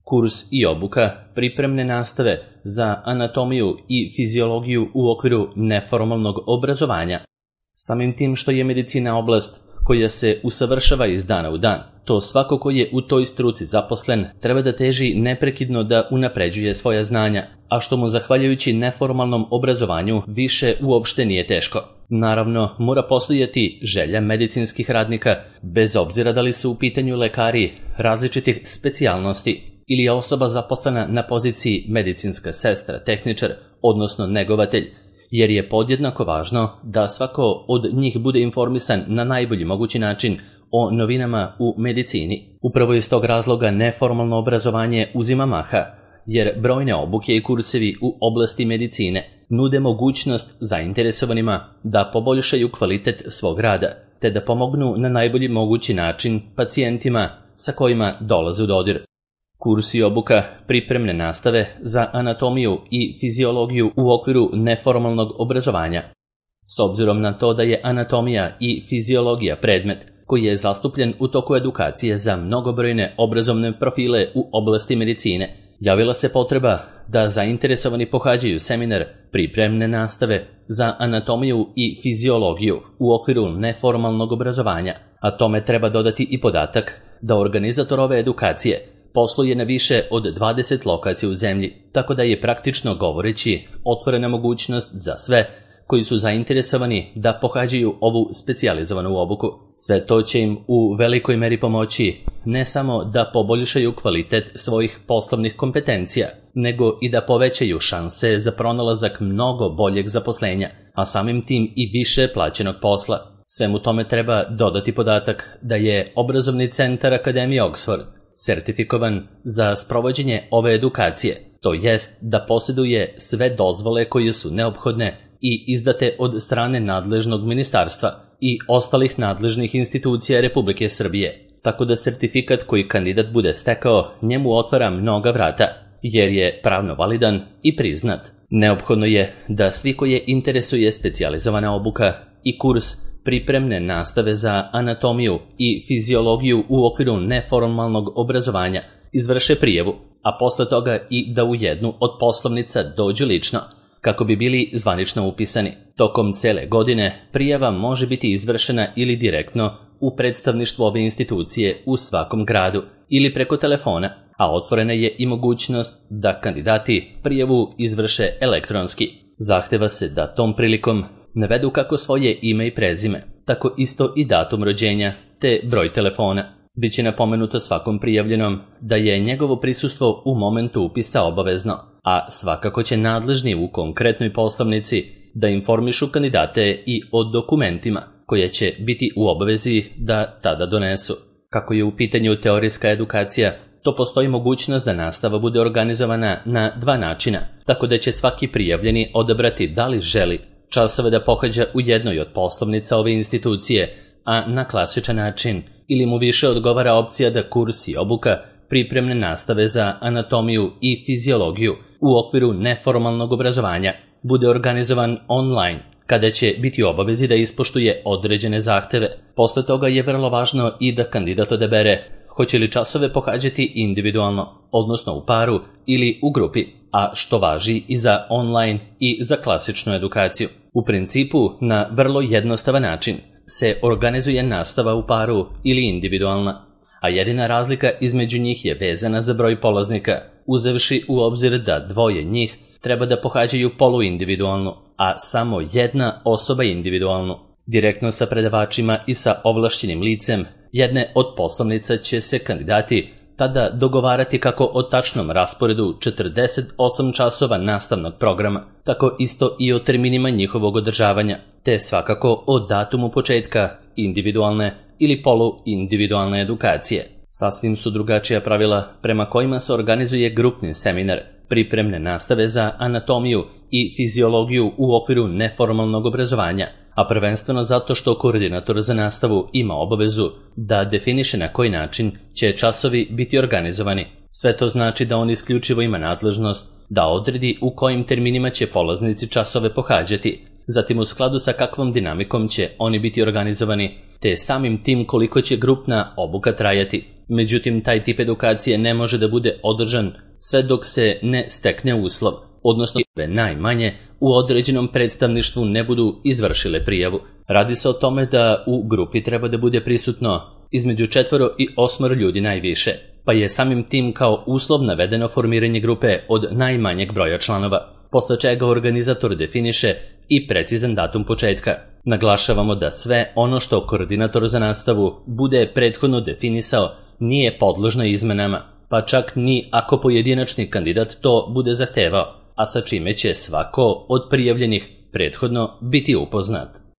Kurs i obuka pripremne nastave za anatomiju i fiziologiju u okviru neformalnog obrazovanja. Samim tim što je medicina oblast koja se usavršava iz dana u dan, to svako ko je u toj struci zaposlen treba da teži neprekidno da unapređuje svoja znanja, a što mu zahvaljujući neformalnom obrazovanju više uopšte nije teško. Naravno, mora postojati želja medicinskih radnika, bez obzira da li su u pitanju lekari različitih specijalnosti ili je osoba zaposlena na poziciji medicinska sestra, tehničar, odnosno negovatelj, jer je podjednako važno da svako od njih bude informisan na najbolji mogući način o novinama u medicini. Upravo iz tog razloga neformalno obrazovanje uzima maha, jer brojne obuke i kursevi u oblasti medicine nude mogućnost zainteresovanima da poboljšaju kvalitet svog rada, te da pomognu na najbolji mogući način pacijentima sa kojima dolaze u dodir. Kurs i obuka pripremne nastave za anatomiju i fiziologiju u okviru neformalnog obrazovanja. S obzirom na to da je anatomija i fiziologija predmet koji je zastupljen u toku edukacije za mnogobrojne obrazovne profile u oblasti medicine, javila se potreba da zainteresovani pohađaju seminar pripremne nastave za anatomiju i fiziologiju u okviru neformalnog obrazovanja, a tome treba dodati i podatak da organizator ove edukacije posluje na više od 20 lokacija u zemlji, tako da je praktično govoreći otvorena mogućnost za sve koji su zainteresovani da pohađaju ovu specijalizovanu obuku. Sve to će im u velikoj meri pomoći ne samo da poboljšaju kvalitet svojih poslovnih kompetencija, nego i da povećaju šanse za pronalazak mnogo boljeg zaposlenja, a samim tim i više plaćenog posla. Svemu tome treba dodati podatak da je obrazovni centar Akademije Oxford sertifikovan za sprovođenje ove edukacije, to jest da posjeduje sve dozvole koje su neophodne i izdate od strane nadležnog ministarstva i ostalih nadležnih institucija Republike Srbije, tako da sertifikat koji kandidat bude stekao njemu otvara mnoga vrata, jer je pravno validan i priznat. Neophodno je da svi koje interesuje specijalizovana obuka i kurs pripremne nastave za anatomiju i fiziologiju u okviru neformalnog obrazovanja izvrše prijavu, a posle toga i da u jednu od poslovnica dođu lično, kako bi bili zvanično upisani. Tokom cele godine prijava može biti izvršena ili direktno u predstavništvu ove institucije u svakom gradu ili preko telefona, a otvorena je i mogućnost da kandidati prijavu izvrše elektronski. Zahteva se da tom prilikom navedu kako svoje ime i prezime, tako isto i datum rođenja, te broj telefona. Biće napomenuto svakom prijavljenom da je njegovo prisustvo u momentu upisa obavezno, a svakako će nadležni u konkretnoj poslovnici da informišu kandidate i o dokumentima koje će biti u obavezi da tada donesu. Kako je u pitanju teorijska edukacija, to postoji mogućnost da nastava bude organizovana na dva načina, tako da će svaki prijavljeni odabrati da li želi časove da pohađa u jednoj od poslovnica ove institucije, a na klasičan način, ili mu više odgovara opcija da kurs i obuka pripremne nastave za anatomiju i fiziologiju u okviru neformalnog obrazovanja bude organizovan online, kada će biti u obavezi da ispoštuje određene zahteve. Posle toga je vrlo važno i da kandidat odabere hoće li časove pohađati individualno, odnosno u paru ili u grupi, a što važi i za online i za klasičnu edukaciju. U principu, na vrlo jednostavan način se organizuje nastava u paru ili individualna, a jedina razlika između njih je vezana za broj polaznika, uzevši u obzir da dvoje njih treba da pohađaju poluindividualnu, a samo jedna osoba individualnu. Direktno sa predavačima i sa ovlašćenim licem jedne od poslovnica će se kandidati tada dogovarati kako o tačnom rasporedu 48 časova nastavnog programa, tako isto i o terminima njihovog održavanja, te svakako o datumu početka individualne ili poluindividualne edukacije. Sasvim su drugačija pravila prema kojima se organizuje grupni seminar pripremne nastave za anatomiju i fiziologiju u okviru neformalnog obrazovanja, a prvenstveno zato što koordinator za nastavu ima obavezu da definiše na koji način će časovi biti organizovani. Sve to znači da on isključivo ima nadležnost da odredi u kojim terminima će polaznici časove pohađati. zatim u skladu sa kakvom dinamikom će oni biti organizovani, te samim tim koliko će grupna obuka trajati. Međutim, taj tip edukacije ne može da bude održan sve dok se ne stekne uslov, odnosno najmanje u određenom predstavništvu ne budu izvršile prijavu. Radi se o tome da u grupi treba da bude prisutno između 4 i 8 ljudi najviše, pa je samim tim kao uslov navedeno formiranje grupe od najmanjeg broja članova, posle čega organizator definiše i precizan datum početka. Naglašavamo da sve ono što koordinator za nastavu bude prethodno definisao nije podložno izmenama, pa čak ni ako pojedinačni kandidat to bude zahtevao, a sa čime će svako od prijavljenih prethodno biti upoznat.